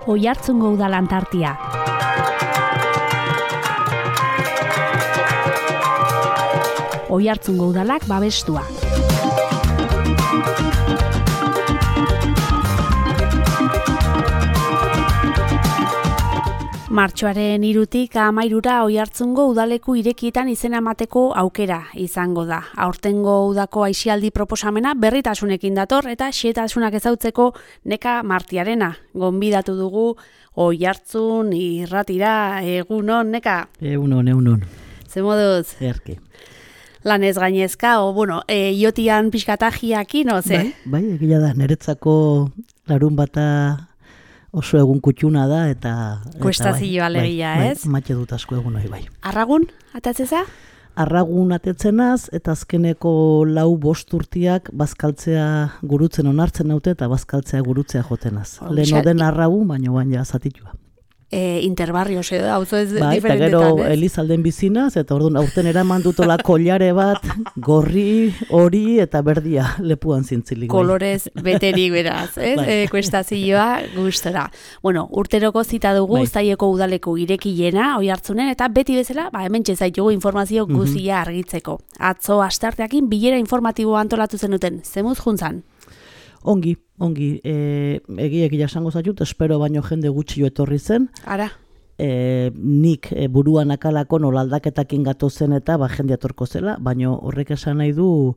Oiartzungo udalan tartia. Oiartzungo udalak babestua. Martxoaren 3tik 13 Oiartzungo udaleku irekietan izena emateko aukera izango da. Aurtengo udako aisialdi proposamena berritasunekin dator eta xehetasunak ezautzeko Neka Martiarena. Gonbidatu dugu Oiartzun irratira. Egunon, Neka? Egunon. Ze moduz? Erke. Lanez gainezka, iotian pixkatajiaki, no, ze? Bai, egia da, niretzako larun bata oso egun kutxuna da, eta Kuestazio alegia, ez? Matxe dut asko egun hori bai. Arragun, atatzeza? Arragun atetzenaz, eta azkeneko 4-5 urtiak bazkaltzea gurutzen onartzen naute, eta bazkaltzea gurutzea jotenaz. Lehen oden arragun, baina baina zatitua. Interbarrio, auzo ez diferentetan, ez? Eta gero Elizalden bizinaz, eta orduan aurten eraman dutola kollare bat, gorri, hori eta berdia lepuan zintzilik. Kolorez beterik beraz, ez? Kuestazioa gustora. Bueno, urteroko zita dugu, Zaieko udaleko irekiena, Oiartzunen, eta beti bezala, hementxe zaitugu informazio guzia argitzeko. Atzo astearteakin bilera informatiboa antolatu zenuten, zemuz juntzan? Ongi, egia esango zaitut, espero baino jende gutxi etorri zen. Ara? Nik buruan akalako nolaldaketakin gato zen eta jende etorko zela, baino horrek esan nahi du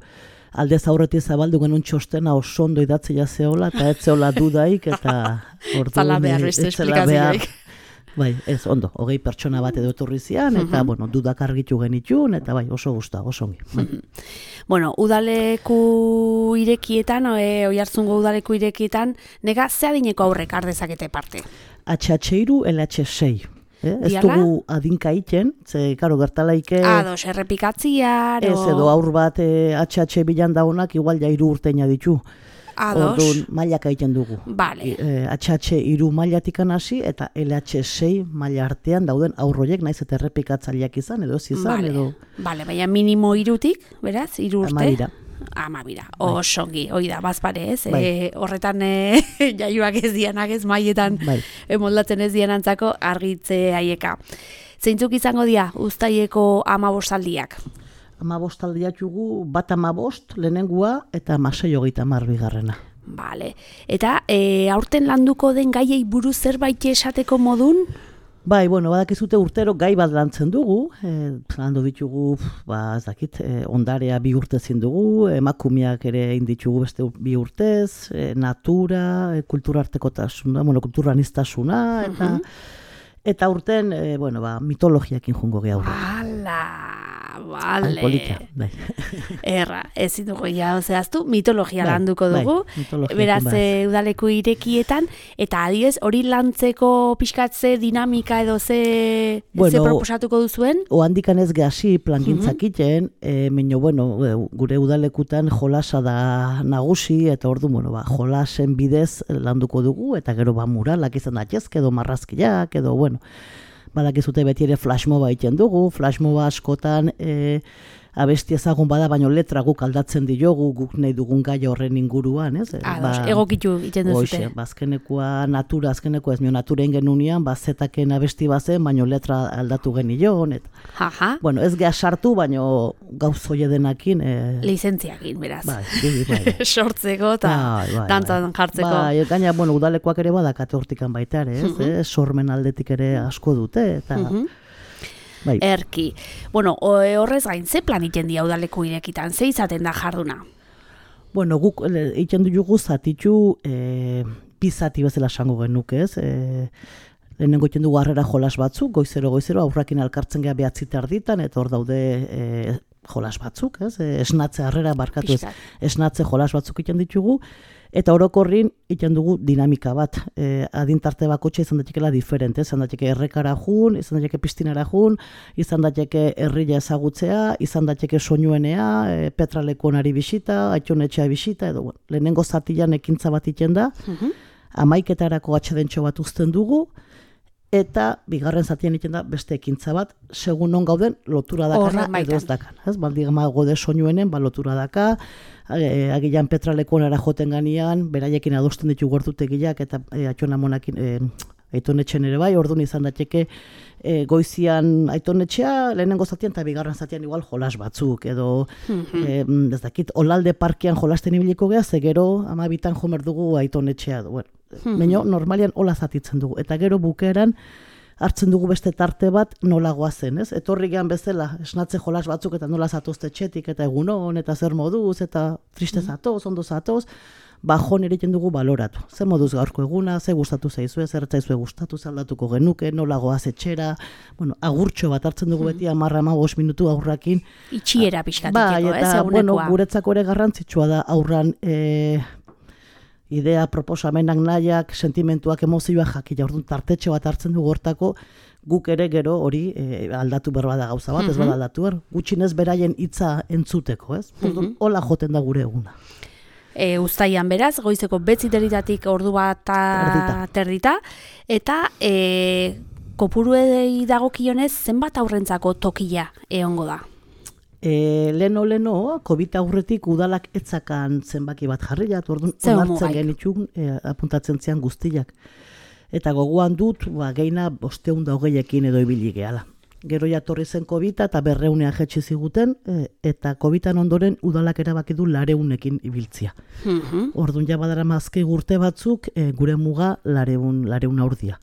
aldez aurretik zabaldu genuen txostena oso ondo idatzea zeola, eta ez zeola dudaik, eta zala behar beste esplikazioik. Bai, ez ondo, 20 pertsona bat edo etorri zian, eta dudak argitu genitxun, eta oso gusta, oso ongi. Bueno, udaleku irekietan, Oiartzungo udaleku irekietan, nega ze adineko aurrek ardezakete parte? HH3, LH6. Ez dugu adinka iten, ze, karo, gertalaike... Ados, errepikatzia, ez edo aur bat HH bilan daunak, igual ja 3 urteina ditu. Orduan mailak egiten dugu. Vale. HH3 mailatik hasi eta LH6 maila artean dauden aurroiek naiz eta errepikatzaileak izan edo ez izan edo. Vale, baina minimo 3tik, beraz, 3 urte. Amabira. Osongi, hoi da, bazpare ez. Horretan jaioak ez dianak ez maietan moldatzen ez dianantzako argitze haieka. Zeintzuk izango dira Uztaileko 15 15 jugu, bat 15, lehenengua, eta 16 bigarrena. Vale. Eta aurten landuko den gaiei buruz zerbait esateko modun? Bai, badakizute urtero gai bat lantzen dugu, landu ditugu, ez dakit, ondarea 2 urte zin dugu, emakumeak ere inditugu beste 2 urtez, natura, kulturartekotasuna, kulturaniztasuna, eta urten, mitologiakin jungo gehiago. Vale. Erra, ez dugu zehaztu, mitologia landuko dugu, beraz udaleku irekietan, eta adiez, hori lantzeko pixkatze dinamika edo ze proposatuko duzuen? Oandikan ez gehasi plangintzak iten, gure udalekutan jolasa da nagusi, eta ordu, jolasen bidez landuko dugu, eta gero muralak izan datezke, edo marrazkiak, edo, badakizute beti ere flashmoba egiten dugu, flashmoba askotan abesti ezagun bada, baino letra guk aldatzen diogu, guk nahi dugun gai horren inguruan, ez? Egokitu egiten duzute. Azkenekoa natura, azkenekoa ez mio naturen genunean, zetaken abesti bazen, baino letra aldatu genion, eta ez geha sartu, baino gauz hoie denakin. Lizentziakin, beraz. Bai. Sortzeko eta dantzan jartzeko. Gaina, udalekoak ere badakate hortikan baita ere, ez? Sormen aldetik ere asko dute, eta... Erki. Horrez gain, ze plan iten dia udaleku irekitan? Ze izaten da jarduna? Guk iten dugu zatitu bizati bezala esango genuk, ez? Lehenengo iten dugu harrera jolas batzuk, goizero, aurrakin alkartzen geha 9 erditan, eta hor daude jolas batzuk, ez? Esnatze harrera barkatu ez. Esnatze jolas batzuk iten ditugu, eta orokorrin iten dugu dinamika bat. Adintarte bakotxe izan datekela diferente, izan dateke errekara jun, izan dateke pistinara jun, izan dateke herria ezagutzea, izan dateke soinuenea, petralekonari bisita, aitonetxea bisita, edo lehenengo zatilan ekintza bat iten da, 11etarako atxedentxo bat uzten dugu, eta bigarren zatian egiten da beste ekintza bat, segun non gauden lotura dakana edo ez dakan. Baldigama gode soinuenen, lotura daka, agilan petralekonara joten ganian, beraiekin adosten ditu gertutegiak eta atxonamonakin Aitonetxen ere bai, orduan izan daiteke goizian aitonetxea, lehenengo zatian eta bigarren zatian igual jolas batzuk, edo ez dakit, Olalde parkean jolasten ibiliko geha, ze gero 12 jomer dugu aitonetxea. Bueno, baina normalian hola zatitzen dugu, eta gero bukeran hartzen dugu beste tarte bat nola goazen, ez? Etorri gehan bezala, esnatze jolas batzuk eta nola zatozte txetik, eta egunon, eta zer moduz, eta triste zatoz, ondo zatoz, bajon egiten dugu baloratu. Zer moduz gaurko eguna, ze gustatu zaizue, zer zaizue gustatu, zaldatuko genuke, nola goaz etxera, bueno, agurtxo bat hartzen dugu beti 10-15 minutu aurrakin. Itxiera pixkatikeko, ez, egunekoa. Bueno, guretzako ere garrantzitsua da aurran idea, proposamenak, nahiak, sentimentuak, emozioak jakila, orduan tartetxe bat hartzen dugu hortako, guk ere gero hori aldatu berba da gauza bat, ez bada aldatu gutxinez beraien hitza entzuteko, ez? Orduan, hola joten da gure eguna. Uztaian beraz, goizeko 9:00 ordu bat terdita, eta kopuruei dagokionez zenbat aurrentzako tokia egongo da? Leno, COVID aurretik udalak etzakan zenbaki bat jarriat, orduan onartzen genitxun apuntatzen zian guztiak. Eta gogoan dut, geina 520ekin edo ibili gehala. Gero jatorri zen COVID eta 200 jetxi ziguten, eta COVID-an ondoren udalak erabaki du 200ekin ibiltzia. Orduan ja badara mazke urte batzuk, gure muga 200 aurdia.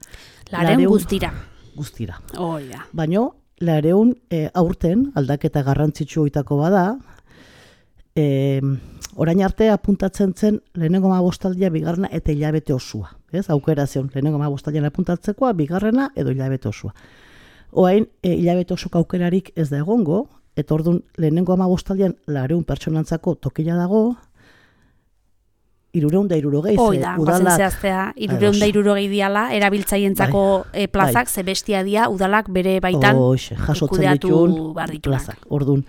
200 guztira. Guztira. Oida. Baina, 200 aurten, aldaketa garrantzitsu oitako bada, orain arte apuntatzen zen lehenengo 15 bigarrena eta hilabete osua. Ez? Aukera zion, lehenengo 15 apuntatzekoa, bigarrena edo hilabete osua. Oain, hilabete osok aukerarik ez da egongo, eta orduan lehenengo 15 200 pertsonantzako tokila dago, 360. Oida, bazen zehaztea, 360 diala, erabiltzaientzako plazak, ze bestia dia, udalak bere baitan kudeatu plazak. Orduan,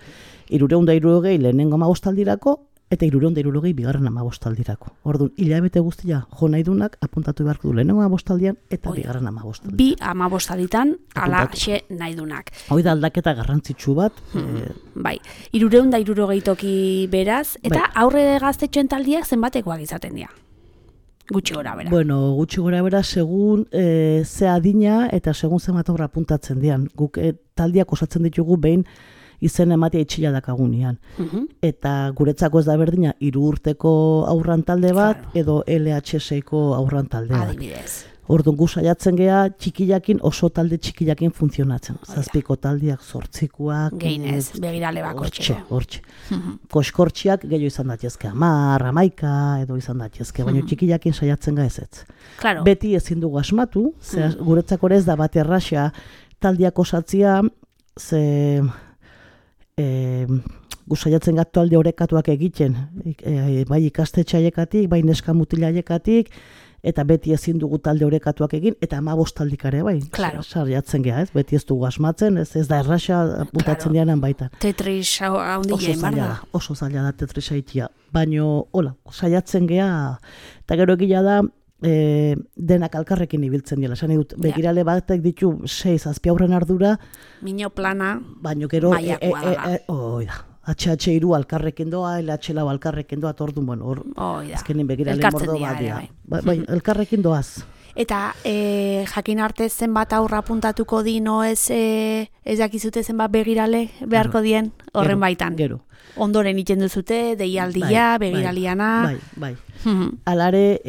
360 lehenengo 15 eta 360 bigarren 15 Orduan, hilabete guztia jo nahi dunak apuntatu beharko du lehenengo 15 eta bigarren 15 Bi 15 ala xe nahi dunak. Hoi da aldaketa garrantzitsu bat. Bai, 360 toki beraz, eta aurre gaztetxoen taldiak zenbatekoak izaten dira? Gutxi gora bera. Bueno, gutxi gora bera segun ze adina eta segun zenbat aurra apuntatzen dian. Guk taldiak osatzen ditugu behin izen ematea itxila dakagunean. Eta guretzako ez da berdina 3 urteko aurran talde bat, edo LHS-ko aurran talde bat. Adibidez. Orduan gu saiatzen gea txikilakin, oso talde txikilakin funtzionatzen. 7 taldiak, 8koak. Geinez, begirale bakortxeko. Hortxe. Koskortxiak gehiago izan daitezke 10, 11 edo izan daitezke, baina txikilakin saiatzen ga ez. Claro. Beti ezin dugu asmatu, guretzako ez da bat erraxa taldiak osatzia, ze gusaiatzen gatu talde orekatuak egiten, bai ikastetxe haiekatik, bai neska mutila haiekatik, eta beti ezin dugu talde orekatuak egin, eta 15 taldikare bai. Claro. Sariatzen geha, ez? Beti ez dugu asmatzen, ez da erraxa puntatzen dianan baita. Tetris haundile, barda? Oso zaila da Tetris haitia. Baina, hola, saiatzen geha, eta gero egila da, denak alkarrekin ibiltzen dira. Esan dut, begirale batek ditu 6-7 aurren ardura. Mino plana, baina gero, maiakoa da. HH2 alkarrekin doa, LH4 alkarrekin doa, orduan, bueno, azkenin begirale mordo bat dira. Bai, elkarrekin doaz. Eta jakin arte zenbat aurra apuntatuko di, no ez dakizute zenbat begirale beharko dien horren baitan. Gero. Ondoren iten duzute, deialdia, begiraliana. Bai. Alare,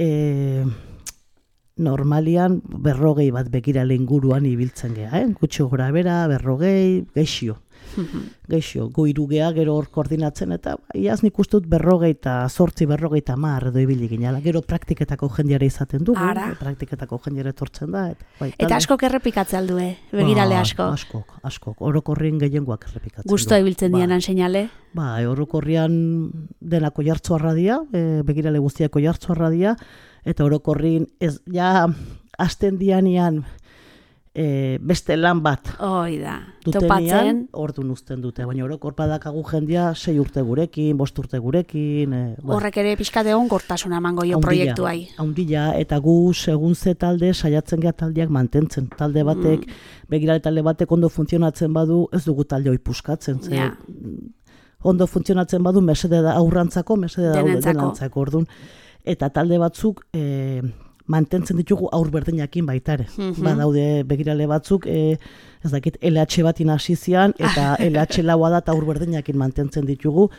normalian 40 bat begirale inguruan ibiltzen geha, gutxi gora bera, 40, geixio. Gu irugea gero hor koordinatzen, eta iaz nik uste dut 48, 40 edo ibili ginala. Gero praktiketako jendeare izaten dugu, praktiketako jendeare etortzen da. Eta askok errepikatzen aldue, begirale asko? Askok, orokorrien gehiengoak errepikatzen du. Gusto ibiltzen dianan seinale? Orokorrian denako jartzoarra dia, begirale guztiako jartzoarra dia, eta orokorrin ez, ja, hasten dianean beste lan bat dutenean, orduan uzten dute, baina orokor badakagu jendia 6 urte gurekin, 5 urte gurekin. Horrek ere pixka degon gortasuna emango jo proiektuai. Haundila, eta gu segun ze talde saiatzen geha taldeak mantentzen. Talde batek, begirale talde batek ondo funtzionatzen badu, ez dugu talde hoi puskatzen. Ondo funtzionatzen badu, mesede da aurrantzako, mesede da denantzako, orduan. Eta talde batzuk mantentzen ditugu aur berdinakin baitare. Badaude begirale batzuk, ez dakit, LH batin hasi zian, eta LH laua da eta aur berdinakin mantentzen ditugu.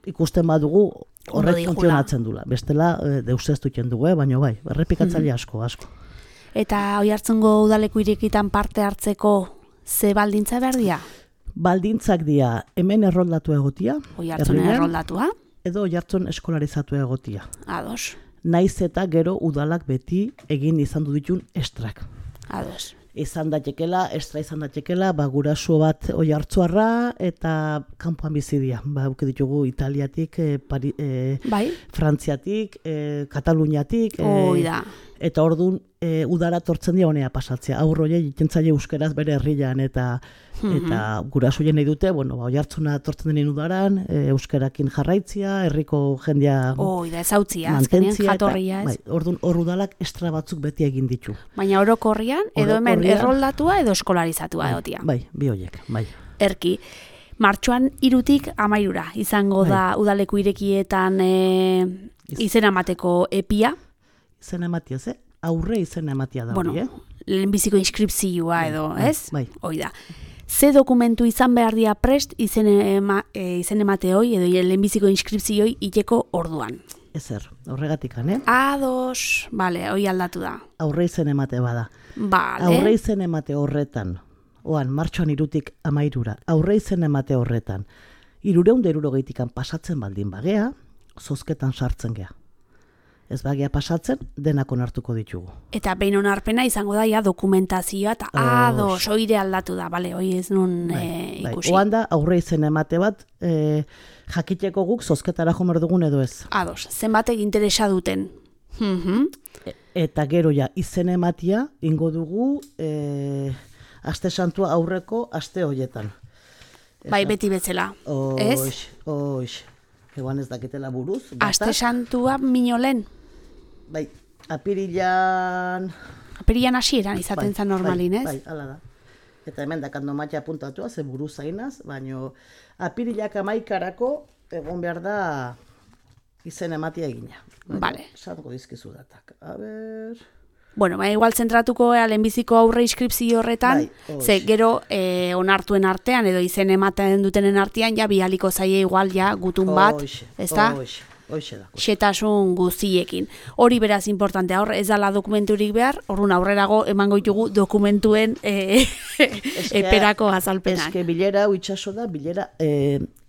Ikusten badugu horrek funtzionatzen dula. Bestela, deuseztu dugu, baina bai, errepikatzaile asko. Eta Oiartzungo udaleku irekitan parte hartzeko ze baldintza behar dira? Baldintzak dira, hemen erroldatu egotia. Oiartzunen erroldatua? Edo Oiartzun eskolarizatu egotia. Ados. Naiz eta gero udalak beti egin izan du ditun estrak. Ados. Estra izan datekela, guraso bat Oiartzuarra eta kanpoan bizidia. Uke ditugu Italiatik, Frantziatik, Kataluniatik. Eta orduan udara tortzen dira honea pasatzea. Aurroie jitentzaile euskeraz bere herrian eta gurasoien nahi dute, Oiartzuna tortzen denin udaran, euskerakin jarraitzia, herriko jendea ezautzia, azkenean jatorria ez. Orduan hor udalak estra batzuk beti egin ditu. Baina orokorrian, edo hemen erroldatua edo eskolarizatua egotia. Bai, bi horiek, bai. Erki, martxoan 3tik 13 izango da udaleku irekietan izena emateko epia. Izena ematia, aurre izena ematia da hori, lehenbiziko inskripzioa edo, ez? Bai. Hoi da. Ze dokumentu izan behar dira prest izen emate hoi edo lehenbiziko inskripzioi iteko orduan? Ezer, horregatik, Ados, bale, hoi aldatu da. Aurre izen emate bada. Bale. Aurre izen emate horretan, martxoan 3tik 13, aurre izen emate horretan, 360 pasatzen baldin bagea, zozketan sartzen gea. Ez bagea pasatzen, denak onartuko ditugu. Eta behin onarpena izango da dokumentazioa, eta ados, oire aldatu da, bale, hoi ez nun ikusi. Oan da, aurre izen emate bat, jakiteko guk zozketara jomer dugun edo ez. Ados, zenbatek interesa duten. Eta gero izen ematia, ingo dugu, aste santua aurreko aste hoietan. Bai, beti betzela, ez? Oix, eguan ez dakitela buruz. Aste santua minolen? Bai, apirilan hasieran izaten zen normalin, ez? Bai, ala da. Eta hemen dakando matia apuntatua, ze buruz zainaz, baina apirilak 11 egon behar da izen ematia egina. Bale. Zango dizkizu datak. A ber... igual zentratuko lehenbiziko aurre inskripzio horretan, ze gero onartuen artean edo izen ematen dutenen artean, bialiko zaie igual gutun bat, ez da? Xetasun guztiekin. Hori beraz importantea, hor ez dala dokumenturik behar, horren aurrerago emango ditugu dokumentuen eperako azalpenak. Eske bilera itxaso da, bilera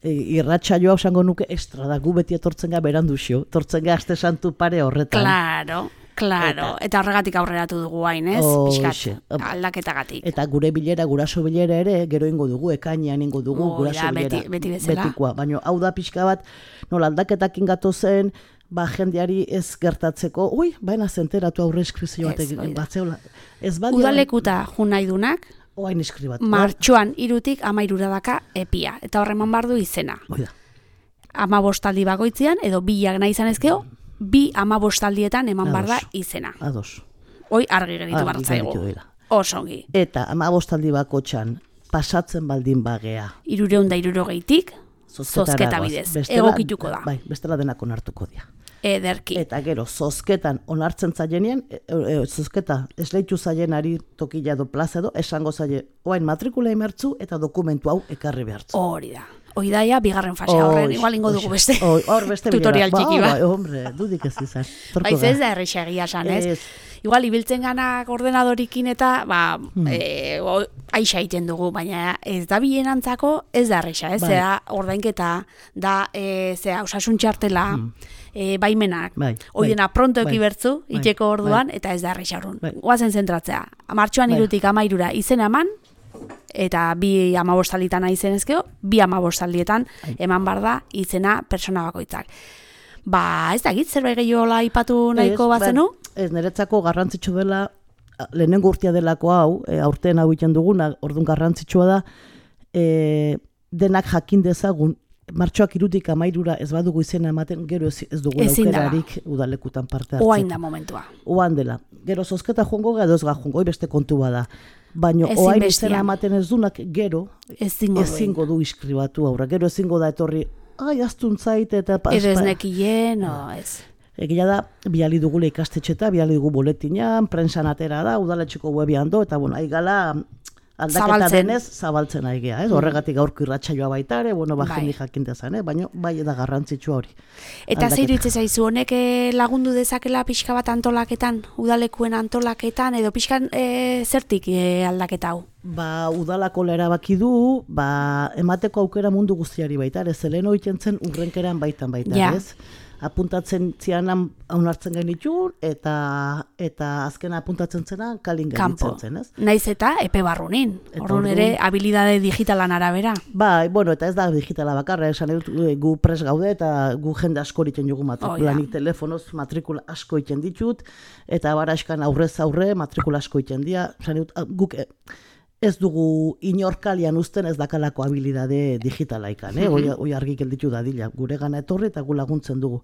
irratsaioa osango nuke estra da, gu beti etortzen ga beranduzio, etortzen ga aste santu pare horretan. Claro, eta horregatik aurreratu dugu hain, ez? Piskat, aldaketagatik. Eta gure bilera, guraso bilera ere, gero ingo dugu, ekainean ingo dugu, guraso bilera. Beti bezala. Betikoa, baina hau da pixka bat, nola aldaketakin gato zen, jendeari ez gertatzeko, baina zenteratu aurre eskrizio bat zeola. Udalekuta jun nahi dunak, oain eskribatu. Martxoan 3tik 13 daka epia, eta horreman bardu izena. 15 aldi bakoitzean, edo bilak nahi izan ezkeo, 15 aldietan eman bar da izena. Ados. Hoi argi geritu bartzaigu. Osongi. Eta 15 aldi bakotxan pasatzen baldin bagea. 360tik zozketa bidez. Egokituko da. Bai, bestela denak onartuko dira. Ederki. Eta gero, zozketan onartzen zaienean, zozketa esleitu zaienari tokila edo plaza edo, esango zaie, oain matrikula emertzu eta dokumentu hau ekarri behartzu. Hori da. Hoi daia, bigarren fasea horren, igual ingo dugu beste tutorial txiki bat. Hombre, dudik ez izan. Baiz ez da errexea egia san, ez? Igual, ibiltzen ganak ordenadorikin eta, aixa egiten dugu, baina ez da bilenantzako ez da errexea, ez? Zera, ordainketa, da, osasun txartela, baimenak, oidena pronto ekibertzu, itxeko orduan, eta ez da errexea horren. Guazen zentratzea, martxoan 3tik 13 izena eman, eta 2 15 alditan izen ezkeo, 2 15 aldietan eman bar da izena persona bakoitzak. Ez dakit, zerbait gehiola aipatu nahiko bazenu? Ez, niretzako garrantzitsu dela, lehenengo urtea delako hau, aurten hau egiten duguna, orduan garrantzitsua da, denak jakin dezagun, martxoak 3tik 13 ez badugu izena ematen, gero ez dugu aukerarik udalekutan parte hartzeko. Oain da momentua. Oan dela. Gero zozketa joango ga, edoz ga joango, beste kontu bada. Baina oain izena ematen ez dunak, gero ezingo du iskribatu aurra. Gero ezingo da etorri, aztun zait eta... Edo ez nekien, ez. Egia da, bihali dugula ikastetxeta, bihali dugu boletinan, prensan atera da, udaletxeko webian do, eta bueno, aigala aldaketa denez zabaltzen aigea, horregatik gaurko irratsaioa baita ere, bueno, jendik jakintea zen, baina bai da garrantzitsua hori. Eta zer iruditzen zaizu, honek lagundu dezakela pixka bat antolaketan, udalekuen antolaketan, edo pixkan zertik aldaketa hau? Udalako erabaki du, emateko aukera mundu guztiari baita, ez zelen oiten zen urrenkeran baitan, ez? Apuntatzen zianan onartzen genitun, eta azkena apuntatzen zena kalin genitzen zen, ez? Naiz eta epe barrunin, orduan ere habilidade digitalan arabera. Bueno, eta ez da digitala bakarra, esan dut gu pres gaude, eta gu jende asko egiten dugu matrikulanik telefonoz, matrikula asko egiten ditut, eta baraskan aurrez aurre matrikula asko egiten dira, esan dut guk ez dugu inorkalian uzten ez dakalako habilidade digitalaikan, hoi argi gelditu dadila, gure gana etorri eta gu laguntzen dugu.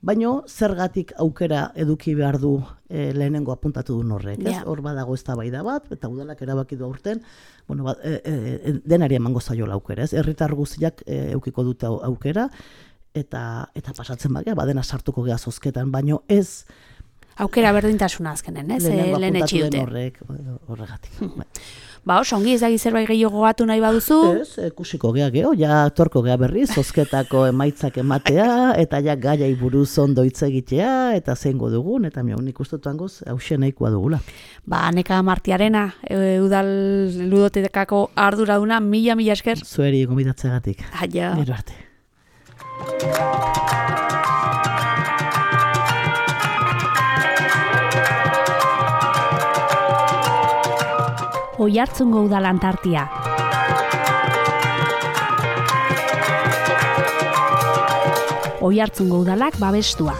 Baina zergatik aukera eduki behar du lehenengo apuntatu du horrek, ez? Hor badago eztabaida bat, eta udalak erabaki du aurten, denari emango zaiola aukera, ez? Herritar guztiak edukiko dute aukera, eta pasatzen bagea, badena sartuko gea zozketan, baina ez aukera berdintasuna azkenen, ez? Lehen etxi dute. Horregatik. Oso, ongi ez da zerbait gehiago gatu nahi baduzu? Ez, ikusiko gea geho, ja torko gea berriz, zozketako emaitzak ematea, eta ja gaiai buruz ondo hitz egitea, eta zeingo dugun, eta nik uste dutangoz, hauxe nahikoa dugula. Neka Martiarena, udal ludotekako arduraduna, mila esker. Zueri gonbidatzeagatik. Aio. Gero arte. Oiartzungo udal Antartia. Oiartzungo udalak babestua.